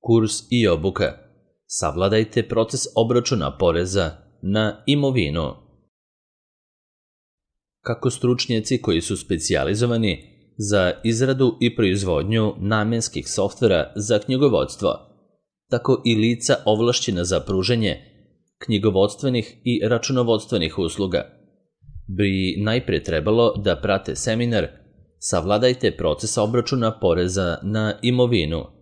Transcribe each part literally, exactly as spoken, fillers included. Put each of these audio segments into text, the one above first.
Kurs i obuka. Savladajte proces obračuna poreza na imovinu. Kako stručnjaci koji su specijalizovani za izradu i proizvodnju namenskih softvera za knjigovodstvo, tako i lica ovlašćena za pružanje knjigovodstvenih i računovodstvenih usluga, bi najpre trebalo da prate seminar Savladajte proces obračuna poreza na imovinu.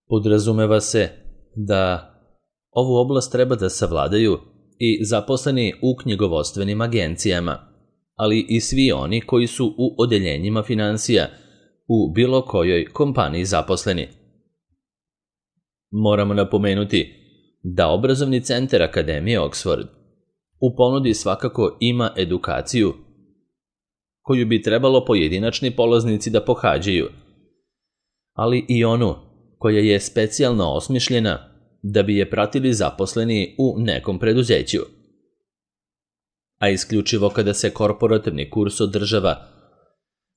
Podrazumeva se da ovu oblast treba da savladaju i zaposleni u knjigovodstvenim agencijama, ali i svi oni koji su u odeljenjima finansija u bilo kojoj kompaniji zaposleni. Moramo napomenuti da obrazovni centar Akademije Oxford u ponudi svakako ima edukaciju koju bi trebalo pojedinačni polaznici da pohađaju, ali i onu koja je specijalno osmišljena da bi je pratili zaposleni u nekom preduzeću. A isključivo kada se korporativni kurs održava,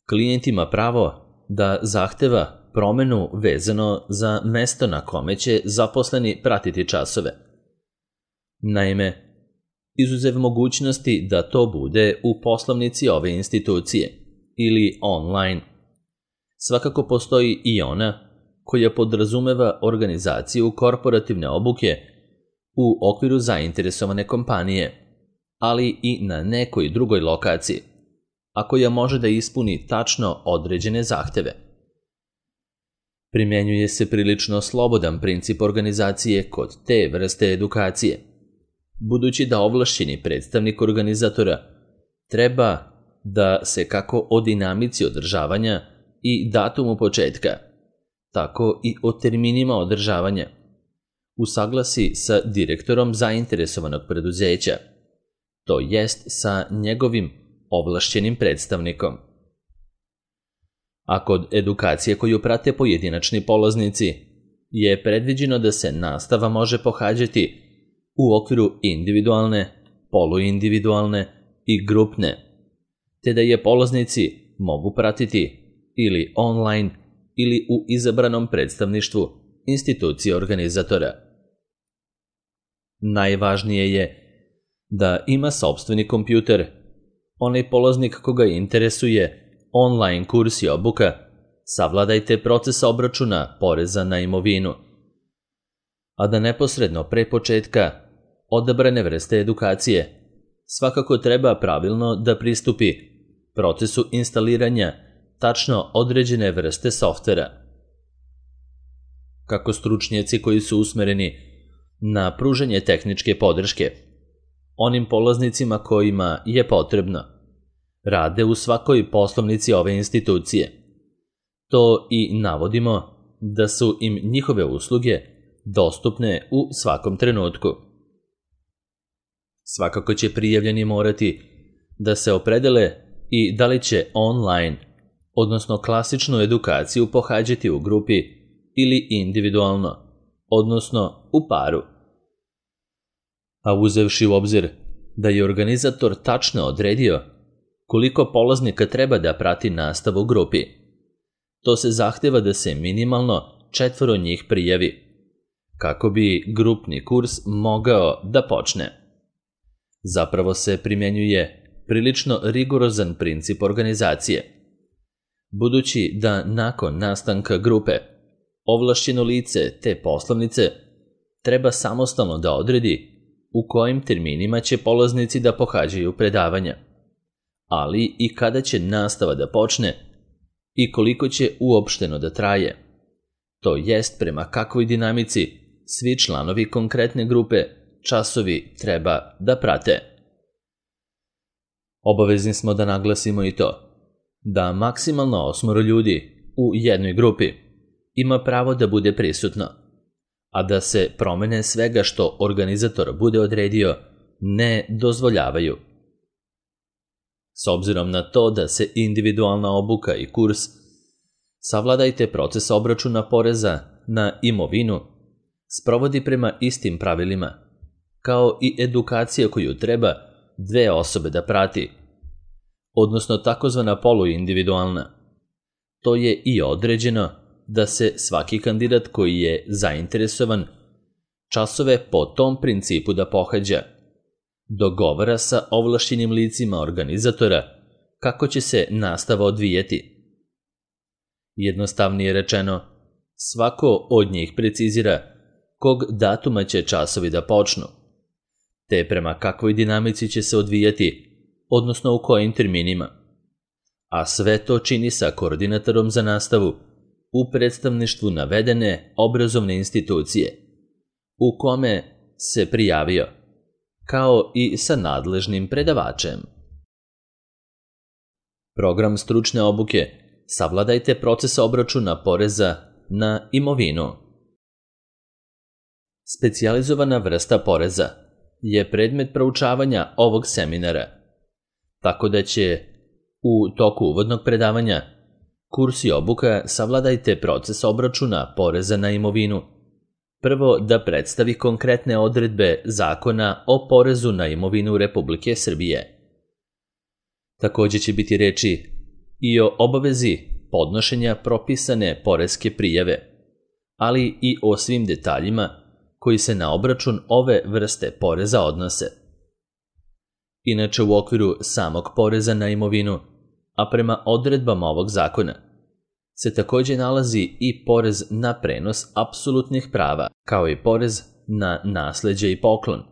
klijent ima pravo da zahteva promenu vezano za mesto na kome će zaposleni pratiti časove. Naime, izuzev mogućnosti da to bude u poslovnici ove institucije ili online, svakako postoji i ona koja podrazumeva organizaciju korporativne obuke u okviru zainteresovane kompanije, ali i na nekoj drugoj lokaciji, a koja može da ispuni tačno određene zahteve. Primjenjuje se prilično slobodan princip organizacije kod te vrste edukacije, budući da ovlašćeni predstavnik organizatora treba da se kako o dinamici održavanja i datumu početka, tako i o terminima održavanja usaglasi sa direktorom zainteresovanog preduzeća, to jest sa njegovim ovlašćenim predstavnikom. A kod edukacije koju prate pojedinačni polaznici je predviđeno da se nastava može pohađati u okviru individualne, poluindividualne i grupne, te da je polaznici mogu pratiti ili online ili u izabranom predstavništvu institucije organizatora. Najvažnije je da ima sopstveni kompjuter, onaj polaznik koga interesuje online kurs i obuka Savladajte proces obračuna poreza na imovinu, a da neposredno pre početka odabrane vrste edukacije svakako treba pravilno da pristupi procesu instaliranja tačno određene vrste softvera. Kako stručnjaci koji su usmereni na pružanje tehničke podrške onim polaznicima kojima je potrebno rade u svakoj poslovnici ove institucije, to i navodimo da su im njihove usluge dostupne u svakom trenutku. Svakako će prijavljeni morati da se opredele i da li će online, odnosno klasičnu edukaciju pohađati u grupi ili individualno, odnosno u paru. A uzevši u obzir da je organizator tačno odredio koliko polaznika treba da prati nastavu u grupi, to se zahteva da se minimalno četvoro njih prijavi, kako bi grupni kurs mogao da počne. Zapravo se primjenjuje prilično rigorozan princip organizacije, budući da nakon nastanka grupe ovlašćeno lice te poslovnice treba samostalno da odredi u kojim terminima će polaznici da pohađaju predavanja, ali i kada će nastava da počne i koliko će uopšteno da traje, to jest prema kakvoj dinamici svi članovi konkretne grupe časovi treba da prate. Obavezni smo da naglasimo i to da maksimalno osmoro ljudi u jednoj grupi ima pravo da bude prisutno, a da se promene svega što organizator bude odredio ne dozvoljavaju. S obzirom na to da se individualna obuka i kurs Savladajte proces obračuna poreza na imovinu sprovodi prema istim pravilima, kao i edukacija koju treba dve osobe da prati, odnosno takozvana poluindividualna. To je i određeno da se svaki kandidat koji je zainteresovan časove po tom principu da pohađa, dogovara sa ovlašćenim licima organizatora kako će se nastava odvijeti. Jednostavnije rečeno, svako od njih precizira kog datuma će časovi da počnu, te prema kakvoj dinamici će se odvijati, odnosno u kojim terminima. A sve to čini sa koordinatorom za nastavu u predstavništvu navedene obrazovne institucije, u kome se prijavio, kao i sa nadležnim predavačem. Program stručne obuke savladajte proces obračuna poreza na imovinu. Specijalizovana vrsta poreza je predmet proučavanja ovog seminara, tako da će u toku uvodnog predavanja kurs i obuka savladajte proces obračuna poreza na imovinu. Prvo da predstavi konkretne odredbe Zakona o porezu na imovinu Republike Srbije. Također će biti reči i o obavezi podnošenja propisane poreske prijave, ali i o svim detaljima koji se na obračun ove vrste poreza odnose. Inače, u okviru samog poreza na imovinu, a prema odredbama ovog zakona, se također nalazi i porez na prenos apsolutnih prava, kao i porez na nasleđe i poklon,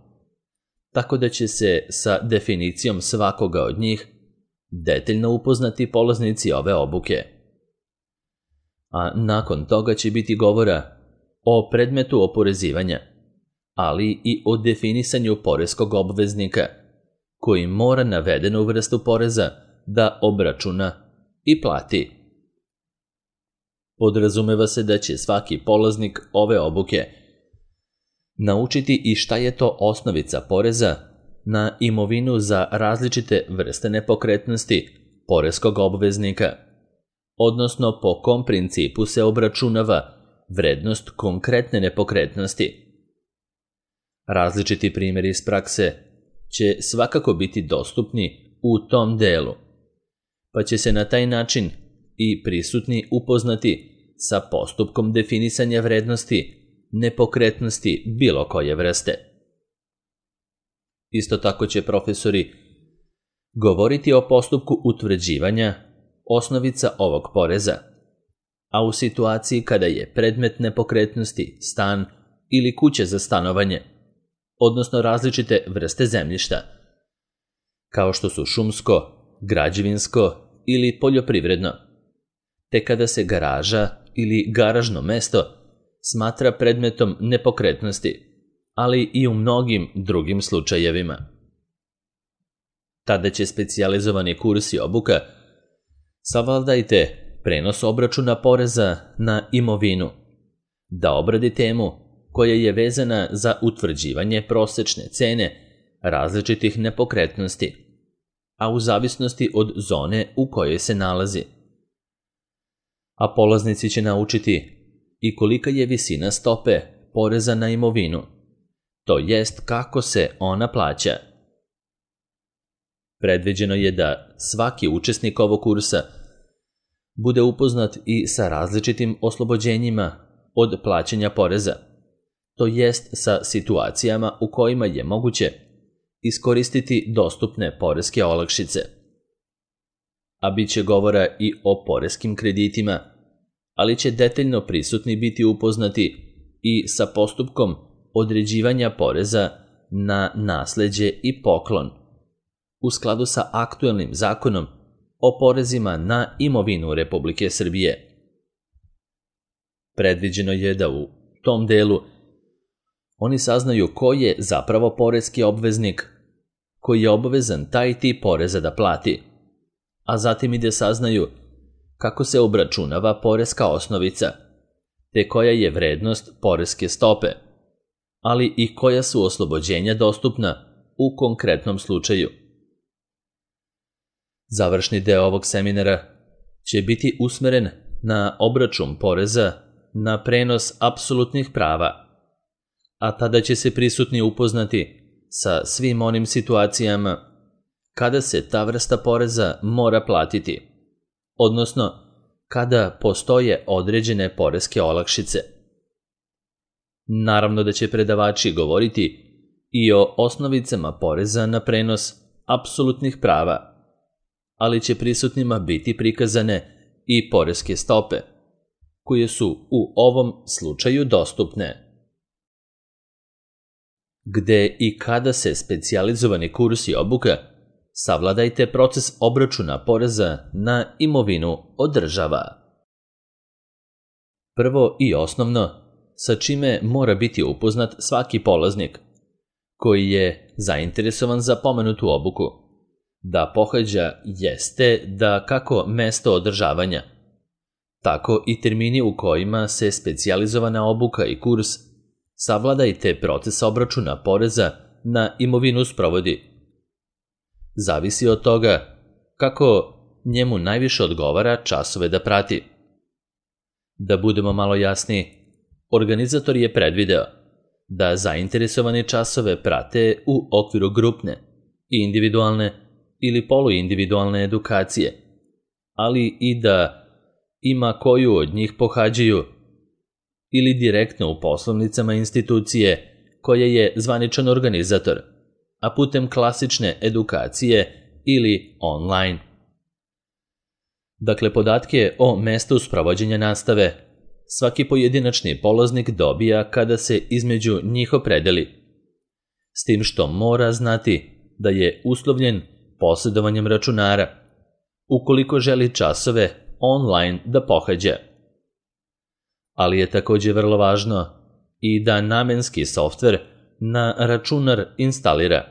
tako da će se sa definicijom svakoga od njih detaljno upoznati polaznici ove obuke. A nakon toga će biti govora o predmetu oporezivanja, ali i o definisanju poreskog obveznika, koji mora navedenu vrstu poreza da obračuna i plati. Podrazumeva se da će svaki polaznik ove obuke naučiti i šta je to osnovica poreza na imovinu za različite vrste nepokretnosti poreskog obveznika, odnosno po kom principu se obračunava vrednost konkretne nepokretnosti. Različiti primjeri iz prakse će svakako biti dostupni u tom delu, pa će se na taj način i prisutni upoznati sa postupkom definisanja vrednosti nepokretnosti bilo koje vrste. Isto tako će profesori govoriti o postupku utvrđivanja osnovica ovog poreza, a u situaciji kada je predmet nepokretnosti stan ili kuća za stanovanje, odnosno različite vrste zemljišta, kao što su šumsko, građevinsko ili poljoprivredno, te kada se garaža ili garažno mesto smatra predmetom nepokretnosti, ali i u mnogim drugim slučajevima. Tada će specijalizovani kurs i obuka savladajte prenos obračuna poreza na imovinu, da obradi temu koja je vezana za utvrđivanje prosečne cene različitih nepokretnosti, a u zavisnosti od zone u kojoj se nalazi. A polaznici će naučiti i kolika je visina stope poreza na imovinu, to jest kako se ona plaća. Predviđeno je da svaki učesnik ovog kursa bude upoznat i sa različitim oslobođenjima od plaćanja poreza, to jest sa situacijama u kojima je moguće iskoristiti dostupne poreske olakšice. A bit će govora i o poreskim kreditima, ali će detaljno prisutni biti upoznati i sa postupkom određivanja poreza na nasleđe i poklon, u skladu sa aktuelnim zakonom o porezima na imovinu Republike Srbije. Predviđeno je da u tom delu oni saznaju ko je zapravo poreski obveznik, koji je obavezan taj tip poreza da plati, a zatim i da saznaju kako se obračunava poreska osnovica, te koja je vrednost poreske stope, ali i koja su oslobođenja dostupna u konkretnom slučaju. Završni deo ovog seminara će biti usmeren na obračun poreza na prenos apsolutnih prava, a tada će se prisutni upoznati sa svim onim situacijama kada se ta vrsta poreza mora platiti, odnosno kada postoje određene poreske olakšice. Naravno da će predavači govoriti i o osnovicama poreza na prenos apsolutnih prava, ali će prisutnima biti prikazane i poreske stope, koje su u ovom slučaju dostupne. Gde i kada se specijalizovani kurs i obuka, savladajte proces obračuna poreza na imovinu održava. Prvo i osnovno, sa čime mora biti upoznat svaki polaznik, koji je zainteresovan za pomenutu obuku, da pohađa jeste da kako mesto održavanja, tako i termini u kojima se specijalizovana obuka i kurs savladajte proces obračuna poreza na imovinu sprovodi. Zavisi od toga kako njemu najviše odgovara časove da prati. Da budemo malo jasniji, organizator je predvideo da zainteresovane časove prate u okviru grupne, individualne ili poluindividualne edukacije, ali i da ima koju od njih pohađaju ili direktno u poslovnicama institucije koje je zvaničan organizator, a putem klasične edukacije ili online. Dakle, podatke o mestu sprovođenja nastave svaki pojedinačni polaznik dobija kada se između njih opredeli, s tim što mora znati da je uslovljen posjedovanjem računara, ukoliko želi časove online da pohađa. Ali je također vrlo važno i da namenski softver na računar instalira,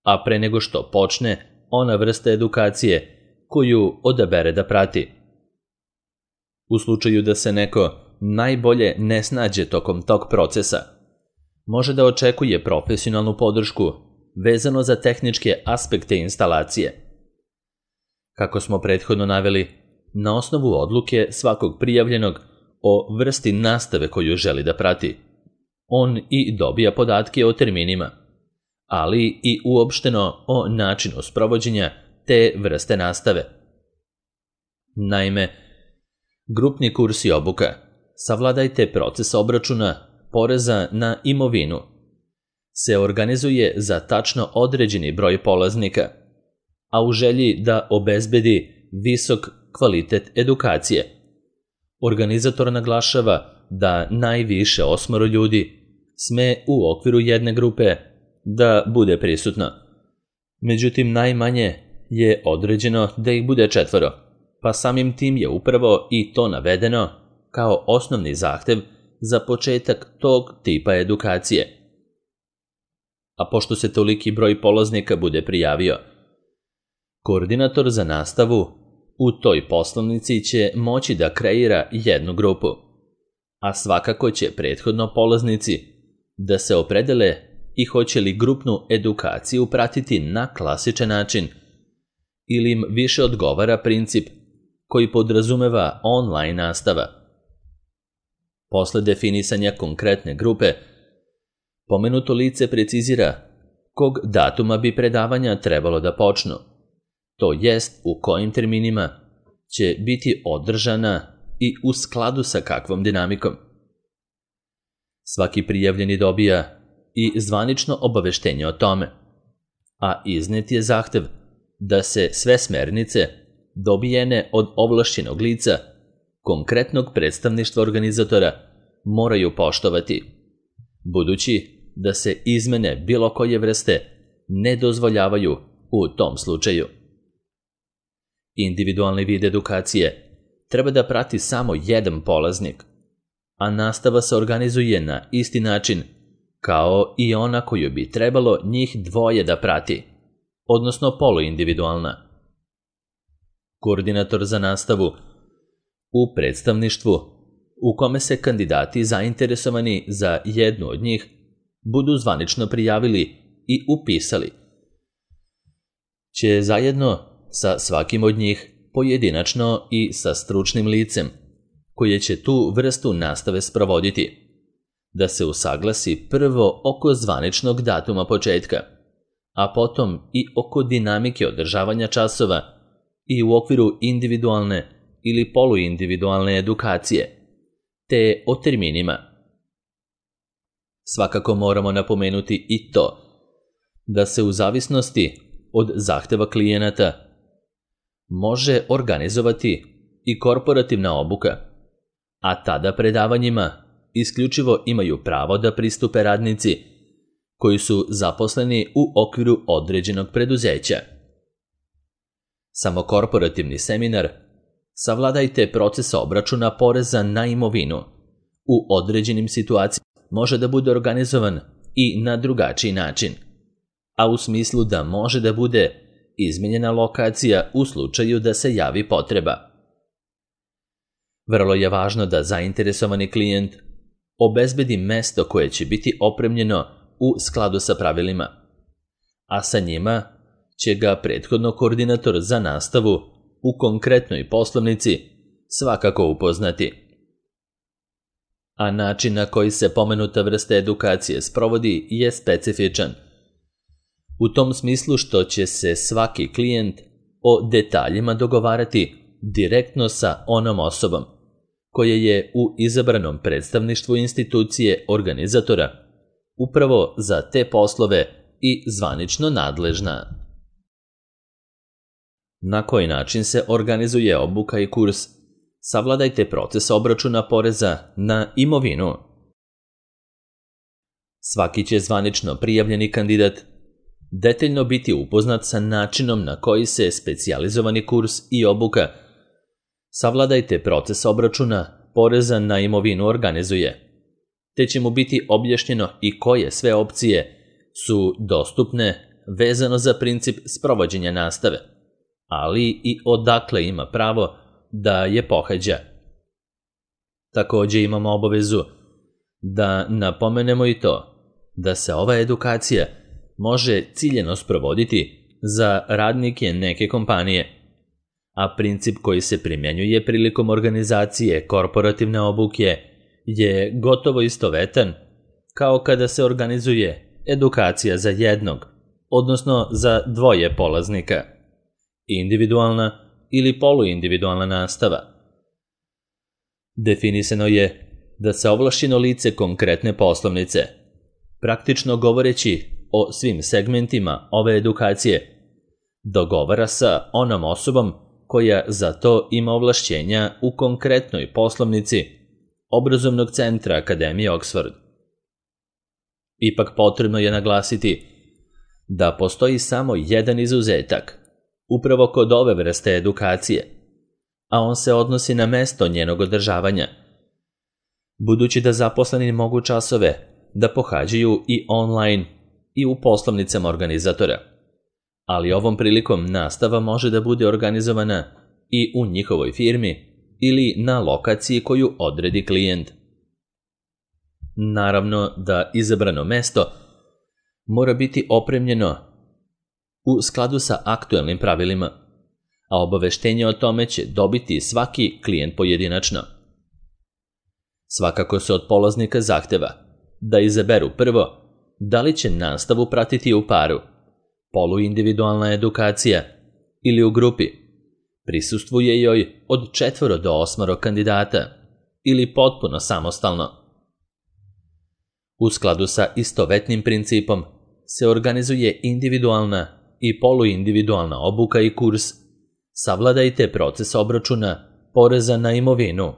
a pre nego što počne ona vrsta edukacije koju odabere da prati. U slučaju da se neko najbolje ne snađe tokom tog procesa, može da očekuje profesionalnu podršku vezano za tehničke aspekte instalacije. Kako smo prethodno naveli, na osnovu odluke svakog prijavljenog o vrsti nastave koju želi da prati, on i dobija podatke o terminima, ali i uopšteno o načinu sprovođenja te vrste nastave. Naime, grupni kurs i obuka savladajte proces obračuna poreza na imovinu se organizuje za tačno određeni broj polaznika, a u želji da obezbedi visok kvalitet edukacije. Organizator naglašava da najviše osmoro ljudi sme u okviru jedne grupe da bude prisutno. Međutim, najmanje je određeno da ih bude četvoro, pa samim tim je upravo i to navedeno kao osnovni zahtev za početak tog tipa edukacije. A pošto se toliki broj polaznika bude prijavio, koordinator za nastavu u toj poslovnici će moći da kreira jednu grupu, a svakako će prethodno polaznici da se opredele i hoće li grupnu edukaciju pratiti na klasičan način ili im više odgovara princip koji podrazumeva online nastava. Posle definisanja konkretne grupe, pomenuto lice precizira kog datuma bi predavanja trebalo da počnu, to jest u kojim terminima će biti održana i u skladu sa kakvom dinamikom. Svaki prijavljeni dobija i zvanično obaveštenje o tome, a iznet je zahtev da se sve smernice dobijene od ovlašćenog lica, konkretnog predstavništva organizatora, moraju poštovati, budući da se izmene bilo koje vrste ne dozvoljavaju u tom slučaju. Individualni vid edukacije treba da prati samo jedan polaznik, a nastava se organizuje na isti način kao i ona koju bi trebalo njih dvoje da prati, odnosno poluindividualna. Koordinator za nastavu u predstavništvu u kome se kandidati zainteresovani za jednu od njih budu zvanično prijavili i upisali, će zajedno sa svakim od njih pojedinačno i sa stručnim licem koje će tu vrstu nastave sprovoditi, da se usaglasi prvo oko zvaničnog datuma početka, a potom i oko dinamike održavanja časova i u okviru individualne ili poluindividualne edukacije, te o terminima. Svakako moramo napomenuti i to da se u zavisnosti od zahteva klijenata može organizovati i korporativna obuka, a tada predavanjima isključivo imaju pravo da pristupe radnici koji su zaposleni u okviru određenog preduzeća. Samo korporativni seminar Savladajte proces obračuna poreza na imovinu u određenim situacijama može da bude organizovan i na drugačiji način, a u smislu da može da bude izmenjena lokacija u slučaju da se javi potreba. Vrlo je važno da zainteresovani klijent obezbedi mesto koje će biti opremljeno u skladu sa pravilima, a sa njima će ga prethodno koordinator za nastavu u konkretnoj poslovnici svakako upoznati. A način na koji se pomenuta vrsta edukacije sprovodi je specifičan, u tom smislu što će se svaki klijent o detaljima dogovarati direktno sa onom osobom koja je u izabranom predstavništvu institucije organizatora upravo za te poslove i zvanično nadležna. Na koji način se organizuje obuka i kurs? Savladajte proces obračuna poreza na imovinu. Svaki će zvanično prijavljeni kandidat detaljno biti upoznat sa načinom na koji se specijalizovani kurs i obuka Savladajte proces obračuna poreza na imovinu organizuje, te će mu biti objašnjeno i koje sve opcije su dostupne vezano za princip sprovođenja nastave, ali i odakle ima pravo da je pohađa. Također imamo obavezu da napomenemo i to da se ova edukacija može ciljeno sprovoditi za radnike neke kompanije, a princip koji se primjenjuje prilikom organizacije korporativne obuke je gotovo istovetan kao kada se organizuje edukacija za jednog, odnosno za dvoje polaznika, individualna ili poluindividualna nastava. Definisano je da se ovlašćeno lice konkretne poslovnice, praktično govoreći o svim segmentima ove edukacije, dogovara sa onom osobom koja za to ima ovlašćenja u konkretnoj poslovnici obrazovnog centra Akademije Oxford. Ipak potrebno je naglasiti da postoji samo jedan izuzetak, upravo kod ove vrste edukacije, a on se odnosi na mesto njenog održavanja. Budući da zaposleni mogu časove da pohađaju i online i u poslovnicama organizatora, ali ovom prilikom nastava može da bude organizovana i u njihovoj firmi ili na lokaciji koju odredi klijent. Naravno da izabrano mesto mora biti opremljeno u skladu sa aktuelnim pravilima, a obaveštenje o tome će dobiti svaki klijent pojedinačno. Svakako se od polaznika zahteva da izaberu prvo da li će nastavu pratiti u paru, poluindividualna edukacija ili u grupi, prisustvuje joj od četvoro do osmoro kandidata ili potpuno samostalno. U skladu sa istovetnim principom se organizuje individualna i poluindividualna obuka i kurs Savladajte proces obračuna poreza na imovinu,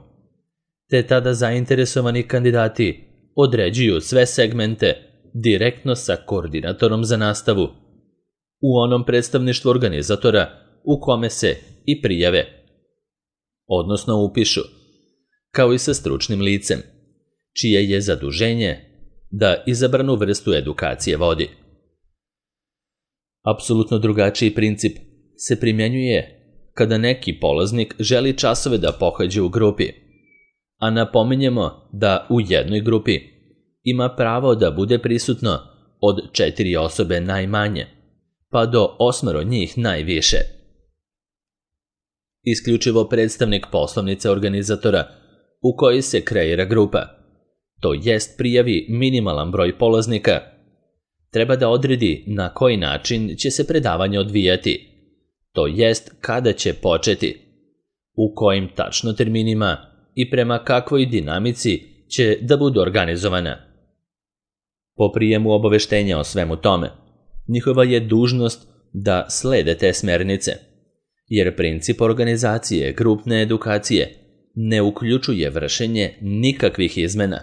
te tada zainteresovani kandidati određuju sve segmente direktno sa koordinatorom za nastavu u onom predstavništvu organizatora u kome se i prijave, odnosno upišu, kao i sa stručnim licem, čije je zaduženje da izabranu vrstu edukacije vodi. Apsolutno drugačiji princip se primjenjuje kada neki polaznik želi časove da pohađa u grupi, a napominjemo da u jednoj grupi ima pravo da bude prisutno od četiri osobe najmanje, pa do osmero njih najviše. Isključivo predstavnik poslovnice organizatora u kojoj se kreira grupa, to jest prijavi minimalan broj polaznika, treba da odredi na koji način će se predavanje odvijati, to jest kada će početi, u kojim tačno terminima i prema kakvoj dinamici će da budu organizovana. Po prijemu obaveštenja o svemu tome, njihova je dužnost da slede te smernice, jer princip organizacije grupne edukacije ne uključuje vršenje nikakvih izmena,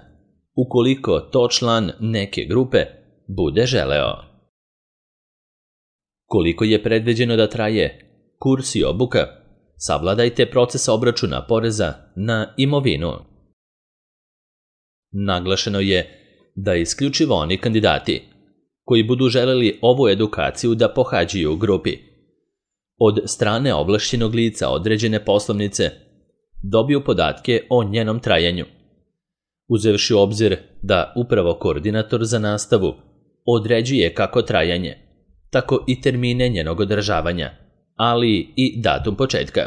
ukoliko to član neke grupe bude želeo. Koliko je predviđeno da traje kurs i obuka, savladajte proces obračuna poreza na imovinu. Naglašeno je da isključivo oni kandidati koji budu želeli ovu edukaciju da pohađaju u grupi od strane ovlašćenog lica određene poslovnice dobiju podatke o njenom trajanju, uzevši u obzir da upravo koordinator za nastavu određuje kako trajanje, tako i termine njenog održavanja, ali i datum početka.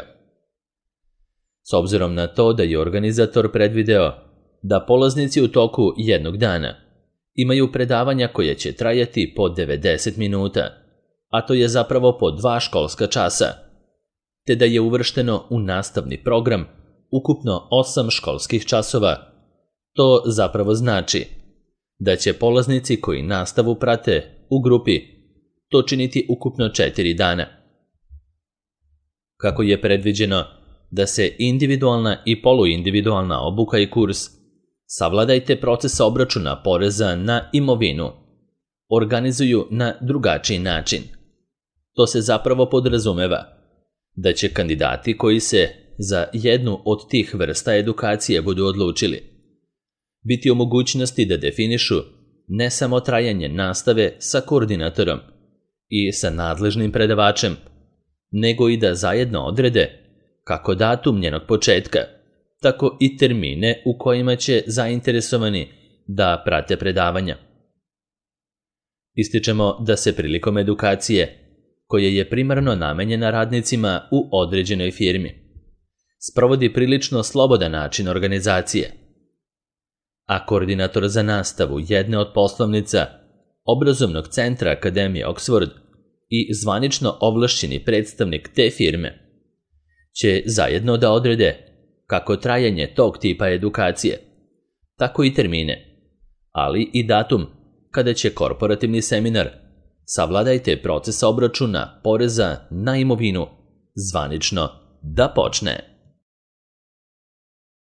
S obzirom na to da je organizator predvideo da polaznici u toku jednog dana imaju predavanja koje će trajati po devedeset minuta, a to je zapravo po dva školska časa, te da je uvršteno u nastavni program ukupno osam školskih časova, to zapravo znači da će polaznici koji nastavu prate u grupi to činiti ukupno četiri dana. Kako je predviđeno da se individualna i poluindividualna obuka i kurs savladajte proces obračuna poreza na imovinu organizuju na drugačiji način. To se zapravo podrazumeva da će kandidati koji se za jednu od tih vrsta edukacije budu odlučili biti u mogućnosti da definišu ne samo trajanje nastave sa koordinatorom i sa nadležnim predavačem, nego i da zajedno odrede kako datum njenog početka, tako i termine u kojima će zainteresovani da prate predavanja. Ističemo da se prilikom edukacije, koja je primarno namenjena radnicima u određenoj firmi, sprovodi prilično slobodan način organizacije, a koordinator za nastavu jedne od poslovnica obrazovnog centra Akademije Oxford i zvanično ovlašćeni predstavnik te firme će zajedno da odrede kako trajanje tog tipa edukacije, tako i termine, ali i datum kada će korporativni seminar savladajte proces obračuna poreza na imovinu zvanično da počne.